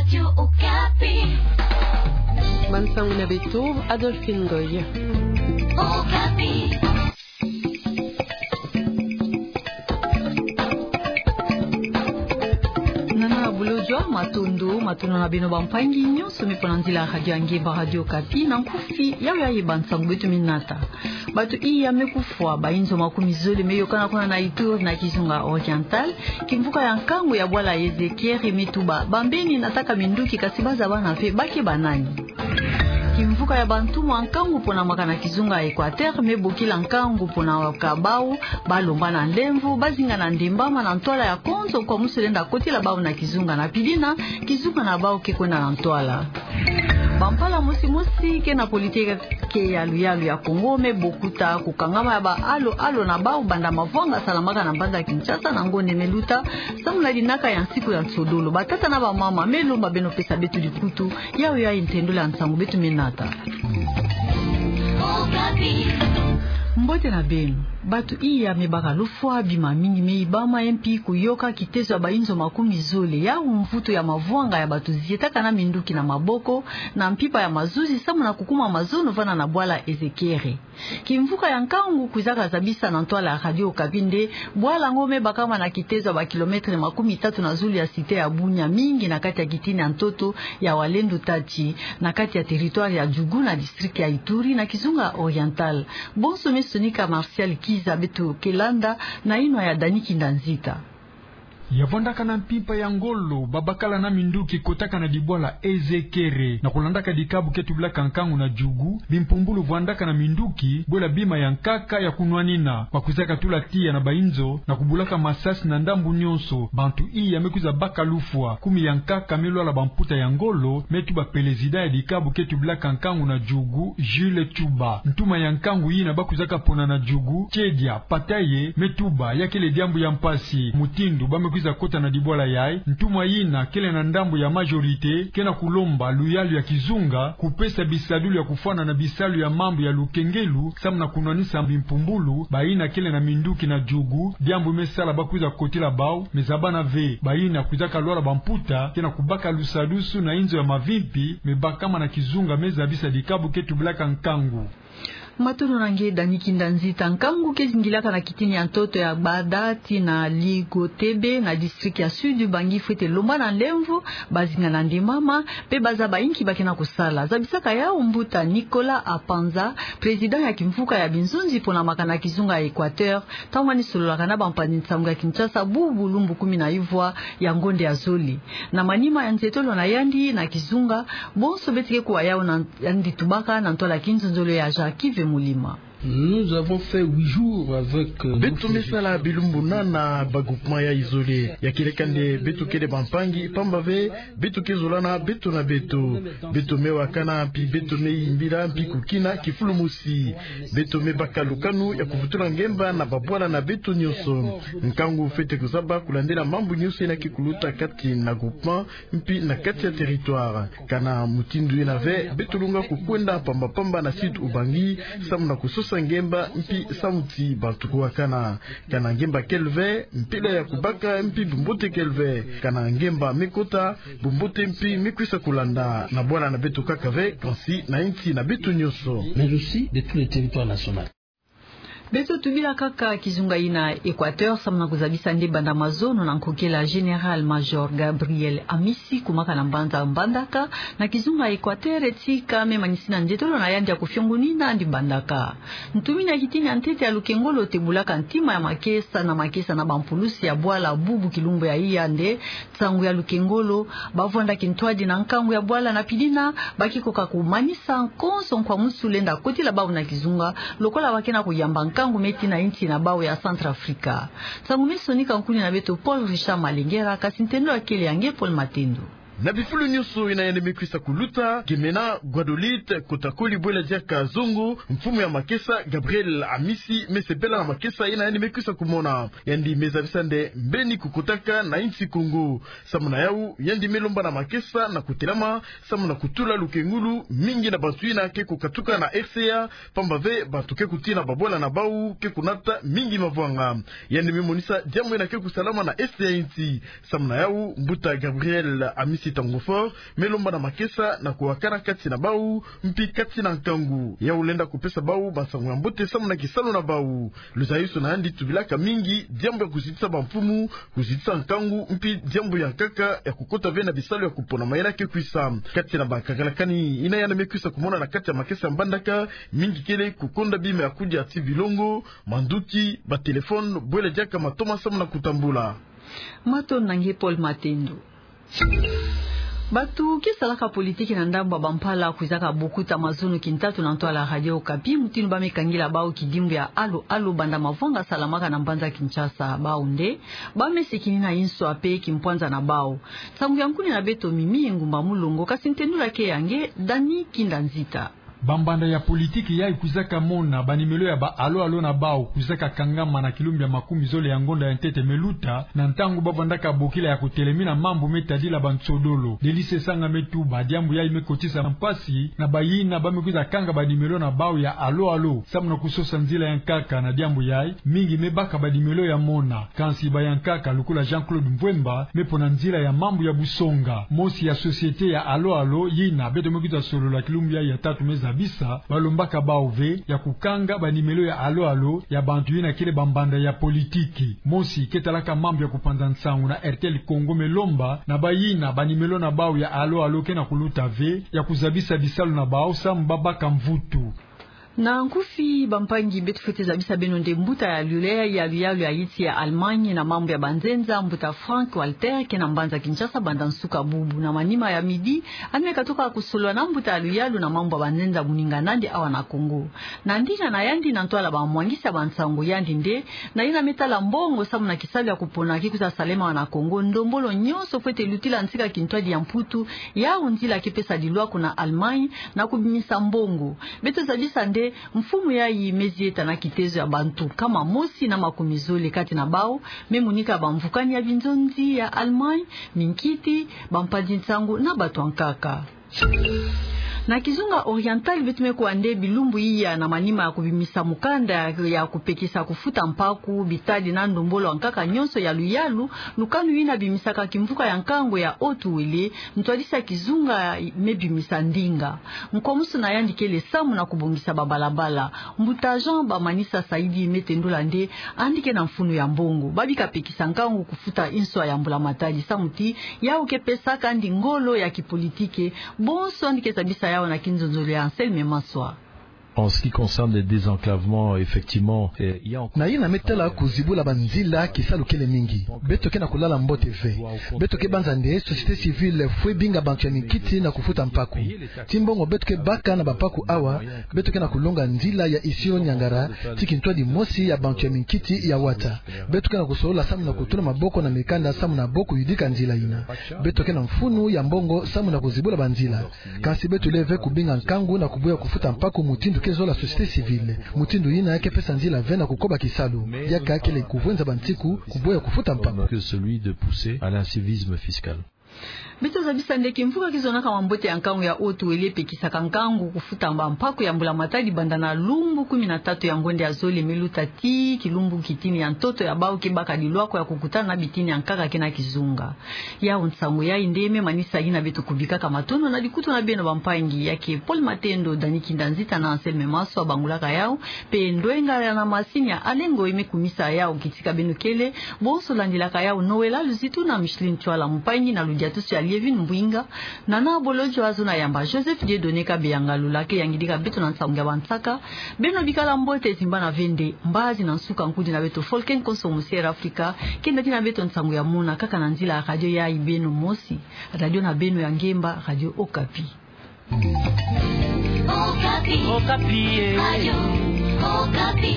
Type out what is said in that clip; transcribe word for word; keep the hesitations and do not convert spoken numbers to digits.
Radio Okapi. Bansangu na beto, Adolphine Ngoy. Okapi. Nana bulojo, matondo, matondo na beno bampangi nyonso me pona nzila radio ya ngemba Radio Okapi, na nkufi, yawe yayi bansangu beto me nata. Bato iya me kufwa, bainzo makumi zole me yokana kuna na Ituri na kizunga Oriental, kimvuka ya nkangu ya bwala Ezekere me tuba, bambeni nataka minduki kasi bazabana ve, ba ke banani. Kimvuka ya bantumwa nkangu pona maka na kizunga Equateur, me bokila nkangu pona ka bau, balomba na nlemvo, bazinga na ndembama na ntwala ya konzo kwa musu lenda kotila bau na kizunga na pidina, kizunga na bau ke kwenda na ntwala. Bampala mosi mosi ke na politike ke ya luyalu ya Kongo me bokuta kukangama ya ba alo alo na bau banda mavwanga salamaka na mbanza Kinshasa na ngonde me luta, samu na linaka ya nsiku ya nsodolo. Batata na bamama me lomba beno pesa beto likutu, yawe yayi ntendola ya nsangu beto me nata. Mbote na beno. Bato iya me baka lufwa, bima mingi me yibama, ye mpi kuyoka kitezo ya bainzo makumi zole, yau mvutu ya mavwanga ya bato zietaka na minduki na maboko, na mpimpa ya mazuzi samu na kukuma mazono vana na bwala Ezekere. Kimvuka ya nkangu kwizaka zabisa na ntwala ya Radio Okapi nde, bwala yango me bakama na kitezo ya ba kilomètre makumi tatu na zulu ya cité ya Bunia, mingi na kati ya kitini ya ntoto ya Walendu Tati, na kati ya territoire ya Djugu na district ya Ituri na kizunga Oriental. Bonso me sonika Martial Kiza, beto ke landa na yinwa ya Dani Kinda Nzita. Ya vwandaka na mpimpa ya ngolo, babakala na minduki kotaka na dibwala Ezekere, na kulandaka dikabu ke tubilaka nkangu na Djugu, bimpumbulu vwandaka na minduki, bwela bima ya nkaka ya kunwanina, bakwizaka tula tiya na bainzo, na kubulaka masasi na ndambu nyonso, bantu iya me kwiza baka lufwa, kumi ya nkaka me lwala bamputa ya ngolo, me tuba président ya dikabu ke tubilaka nkangu na Djugu, Jules Tshouba. Ntuma ya nkangu yina bakwizaka pona na Djugu, Tchedia Pataye, me tuba, ya kele diambu ya mpasi, mutindu ba me kwiza kota na dibwala yayi, ntuma yina kele na ndambu ya majorité, ke na kulomba luyalu ya kizunga, kupesa bisadulu ya kufwana na bisalu ya mambu ya lukengelu, samu na kunwanisa bimpumbulu, bayina kele na minduki na Djugu, diambu me sala bakwiza kotila bau, me zabana ve, bayina kwizaka lwala bamputa, ke na kubaka lusadusu na inzo ya mavimpi, me bakama na kizunga me zabisa dikabu ke tubilaka nkangu. Matondo na nge Dani Kinda Nzita. Nkangu ke zingilaka na kitini ya ntoto ya Gbada tii na Ligotebe na district ya Sud Ubangi fwete lomba na nlemvo, bazinga na ndembama, pe bazaba inki ba ke na kusala. Zabisaka yau mbuta Nicolas Apanza, président ya kimvuka ya binzonzi pona maka na kizunga ya Equateur, ntangu mani sololaka na bampanzi nsangu ya Kinshasa bubu lumbu kumi na yuvwa ya ngonde ya zole. Na manima ya nzietolo na yandi na kizunga, bonso beto ke kuwa yau na yandi tubaka na ntwala ya kinzonzolo ya Jacques Vemulima. Nous avons fait huit jours avec, euh, beto me sala bilumbu nana na ba groupement yayi zole. Ya kieleka nde beto kele bampangi, pamba ve beto ke zolana beto na beto. Beto me wakana, mpi beto me yimbila, mpi kukina kifulu mosi. Beto me baka lukanu ya kuvutula ngemba na babwala na beto nyonso. Nkangu fwete kuzaba kulandila mambu nyonso yina ke kuluta kati na groupement, mpi na kati ya territoire. Kana mutindu yina ve, beto lunga kukwenda pamba pamba na Sud Ubangi, samu na kusosa ngemba, mpi samu ti bantu kuwakana. Kana ngemba kele ve, mpila ya kubaka, mpi bumbote kele ve. Kana ngemba me kota, bumbote mpi me kwisa kulanda. Na bwala na beto kaka ve, kansi na insi na beto nyonso. Mais aussi de tout le territoire national. Beto tubila kaka kizunga yina Equateur, samu na kuzabisa nde banda mazono na nkokela Général-Major Gabriel Amisi, kumaka na mbanza Mbandaka, na kizunga Equateur, tika me manisina nzietolo na yandi ya kufiongonina yandi Mbandaka. Ntumini ya kitini ya ntete ya lukengolo tebulaka ntima ya makesa na makesa na bampulusi ya bwala bubu kilumbu ya iya nde, nsangu ya lukengolo, bavwanda kintwadi na nkangu ya bwala na pidina, ba ke koka kumanisa konso nkwamusu lenda kotila bau na kizunga, lokola ba ke na kuyamba nkangu me tii na insi na bau ya Centrafrique. Nsangu me sonika nkuni na beto Paul Richard Malengera, kasi ntendo ya kele ya nge Paul Matendo. Na bifulu nyonso yina yandi me kwisa kuluta, Gemena Guadolite, kota koli bwela diaka zongo, mfumu ya makesa Gabriel Amisi, me sepela na makesa yina yandi me kwisa kumona. Yandi me zabisa nde mbeni kukotaka na insi Kongo. Samu na yau, yandi me lomba na makesa na kutelama, samu na kutula lukengulu mingi na bantu yina ke kukatuka na R C A, pamba ve bantu ke kutii na babwala na bau ke kunata mingi mavwanga. Yandi me monisa diambu yina ke kusalama na est ya insi. Samu na yau, mbuta Gabriel Amisi Tango Fort me lomba na makesa na kuwakana kati na bau mpi kati na nkangu. Yau lenda kupesa bau bansango ya mbote samu na kisalu na bau. Luzayusu na yandi tubilaka mingi diambu ya kuzitisa bamfumu, kuzitisa nkangu, mpi diambu ya nkaka ya kukota ve na bisalu ya kupona mayela ke kwisa. Kati na bakakalakani yina yandi me kwisa kumona na kati ya makesa ya Mbandaka, mingi kele kukonda bima ya kudia ti bilongo, manduki, batelefone, bwela diaka matoma samu na kutambula. Matondo na nge Paul Matendo. Bato ke salaka politiki na ndambu ya bampala kwizaka bokuta mazono kintatu na ntwala Radio Okapi, mutindu ba me kangila bau kidimbu ya alo alo banda mavwanga salamaka na mbanza Kinshasa. Bau nde ba me sikini na inswa pe kimpwanza na bau. Nsangu ya nkuni na beto Mimi Ngumba Mulongo, kasi ntendula ke ya nge Dani Kinda Nzita. Bambanda ya politiki yai kwizaka mona banimelo ya ba alo alo na bau kwizaka kangama na kilumbu ya makumi zole ya ngonda ya ntete me luta, na ntangu ba vandaka bokila ya kutelemina mambu me tadila bansodolo. Delise Sanga me tuba diambu yai me kotisa mpasi na bayina ba me kwiza kanga banimelo na bau ya alo alo samu na kusosa nzila ya nkaka. Na diambu yai, mingi me baka banimelo ya mona. Kansi bayankaka lokola Jean-Claude Mvwemba me pona nzila ya mambu ya busonga. Mosi ya société ya alo alo yina beto me kwiza solola kilumbu yai ya tatu me zabisa, ba lombaka bau ve ya kukanga banimelo ya alo alo ya bantu yina kele bambanda ya politiki. Mosi ke talaka mambu ya kupanza nsangu na R T L Congo me lomba na bayina banimelo na bau ya alo alo ke na kuluta ve ya kuzabisa bisalu na bau samu ba baka mvutu. Na nkufi bampangi, beto fwete zabisa beno nde mbuta ya lule ya luyalu ya yiti ya Allemagne na mambu ya banzenza, mbuta Frank Walter, ke na mbanza Kinshasa banda nsuka bubu. Na manima ya midi, a me katuka kusolola na mbuta ya luyalu na mambu ya banzenza moninga nandi awa na Congo. Na ndinga na yandi na ntwala bamwangisi ya bansangu, yandi nde na yina me tala mbongo samu na kisalu ya kupona ke kwiza salema awa na Congo, ndombolo nyonso fwete lutila nsika kintwadi ya Mputu, yau nzila ke pesa dilwaku na Allemagne na kubimisa mbongo. Beto zabisa nde mfumu yai me zieta na kitezo ya bantu nkama mosi na makumi zole kati na bau me monika bamvukani ya binzonzi ya Allemagne, minkiti, bampanzi nsangu na bato ya nkaka. Na kizunga Oriental, beto me kuwa nde bilumbu iya na manima ya kubimisa mukanda ya kupekisa kufuta mpaku, bitadi na ndombolo ya nkaka nyonso ya luyalu, lukanu yina bimisaka kimvuka ya nkangu ya Haut-Uélé, ntwadisi ya kizunga me bimisa ndinga. Nkomusu na yandi kele samu na kubongisa babalabala. Mbuta Jean Bamanisa Saidi me tendula nde yandi ke na mfunu ya mbongo. Ba bika pekisa nkangu kufuta inswa ya mbula matadi samu ti yau ke pesaka yandi ngolo ya kipolitike. Bonso yandi ke zabisa yau na kinzonzolo ya Anselme Maswa. En ce qui concerne les désenclavements, effectivement, euh, il y a encore... Na yina me tala kuzibula banzila, kisalu kele mingi. Beto ke na kulala mbote ve. Beto ke banza nde société civile fwe binga bantu ya minkiti na kufuta mpaku. Ti mbongo beto ke baka na bampaku awa, beto ke na kulonga nzila ya Isiro-Niangara, ti kintwadi mosi ya bantu ya minkiti ya wata. Beto ke na kusolola samu na kutuna maboko na mikanda samu na bo kuyidika nzila yina. Beto ke na mfunu ya mbongo samu na kuzibula banzila. Kansi beto lele ve kubinga nkangu na kuboya kufuta mpaku mutindu ke zola société civile. Mutindu yina ke pesa nzila ve na kukoba kisalu. Diaka kele kuvwenza bansiku kuboya kufuta mpaku. Que celui de pousser à l'incivisme fiscal. Beto zabisa nde kimvuka kizonaka mambote ya nkangu ya Haut-Uélé pekisaka nkangu kufuta bampaku ya mbula matadi banda na lumbu kumi na tatu ya ngonda ya zole me luta ti kilumbu kitini ya ntoto ya bau ke baka dilwako ya kukutana na bitini ya nkaka ke na kizunga. Yau nsangu yai nde me manisa yina beto kubikaka. Matondo na likutu na beno bampangi, ya ke Paul Matendo, Dani Kinda Nzita na Anselme Maswa babangulaka yau, pe ndwenga ya na masini ya Alengo i me kumisa yau. Kitika beno kele, bonso landilaka yau Noëlla Luzitu na Micheline Tswala, mpangi na ludiatusu ya Lievine Mbwinga, Nana Bolodjwa, zona yamba Joseph Dieudonné Kabeyanga, lula ke yangidika beto na nsangu ya bansaka. Beno bikala mbote, zimbana ve nde mbazi na nsuka nkudi na beto Folken Konso Musier Afrika, ke nda dina beto nsangu ya mona kaka na nzila ya radio yai beno mosi, radio na beno ya ngemba, Radio Okapi. Okapi. Okapi, eh. Radio Okapi.